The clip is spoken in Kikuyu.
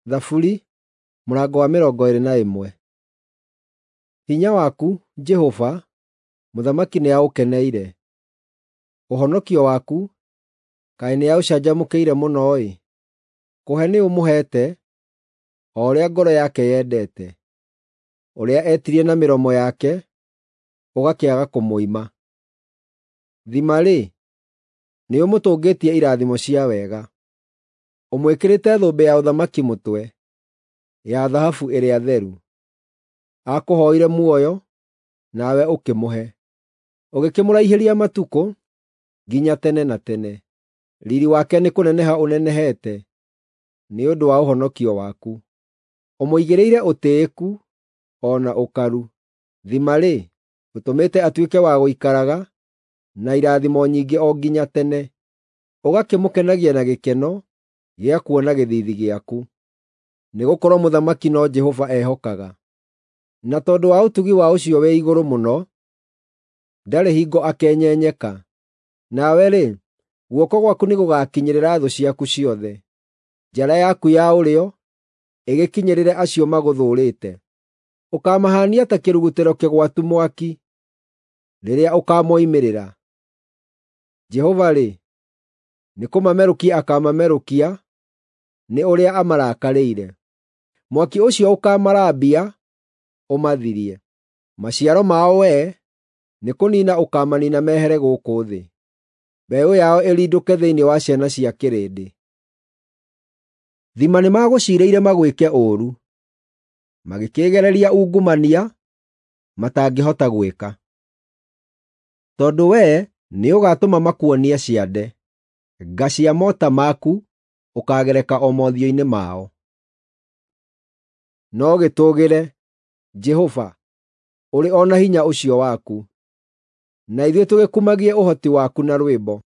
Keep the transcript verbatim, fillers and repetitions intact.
Thaburi mũrango wa mĩrongo ĩĩrĩ na ĩmwe. Hinya waku, Jehova, mũthamaki nĩaũkeneire; ũhonokio waku, kaĩ nĩaũcanjamũkĩire mũno-ĩ! Kũhe nĩũmũheete o ũrĩa ngoro yake yendete; ũrĩa etirie na mĩromo yake, ũgakĩaga kũmũima. Thima-rĩ, nĩũmũtũngĩtie irathimo cia wega; ũmwĩkĩrĩte thũmbĩ ya ũthamaki mũtwe, ya thahabu ĩrĩa theru. Aakũhooire muoyo, nawe ũkĩmũhe, ũgĩkĩmũraihĩria matukũ nginya tene na tene. Riiri wake nĩkũneneha ũnenehete nĩ ũndũ wa ũhonokio waku. Ũmũigĩrĩire ũtĩĩku o na ũkaru. Thima-rĩ, ũtũmĩte atuĩke wa gũikaraga na irathimo nyingĩ o nginya tene, ũgakĩmũkenagia na gĩkeno gĩa kuona gĩthiithi gĩaku. Nĩgũkorwo mũthamaki no Jehova ehokaga, na tondũ wa ũtugi wa Ũcio-wĩ-Igũrũ-Mũno, ndarĩ hingo akenyenyeka. Nawe-rĩ, guoko gwaku nĩgũgakinyĩrĩra thũ ciaku ciothe, njara yaku ya ũrĩo ĩgĩkinyĩrĩre acio magũthũũrĩte. Ũkaamahaania ta kĩrugutĩro kĩgwatu mwaki rĩrĩa ũkaamoimĩrĩra. Jehova-rĩ, nĩkũmamerũkia akaamamerũkia nĩ ũrĩa amarakarĩire. Mwaki ũcio ũkaamarambia ũmathirie. Maciaro mao wee nĩkũniina ũkaamaniina mehere gũkũ thĩ, mbeũ yao ĩrindũke thĩinĩ wa ciana cia kĩrĩndĩ. Thima nĩmagũciirĩire magwĩke ũũru, magĩkĩĩgereria ungumania matangĩhota gwĩka. Tondũ wee nĩũgatũma makuonie ciande, nga cia mota maku ũkaagereka o mothiũ-inĩ mao. No gĩtũũgĩre, Jehova, ũrĩ o na hinya ũcio waku, na ithuĩ tũgĩkumagie ũhoti waku na rwĩmbo.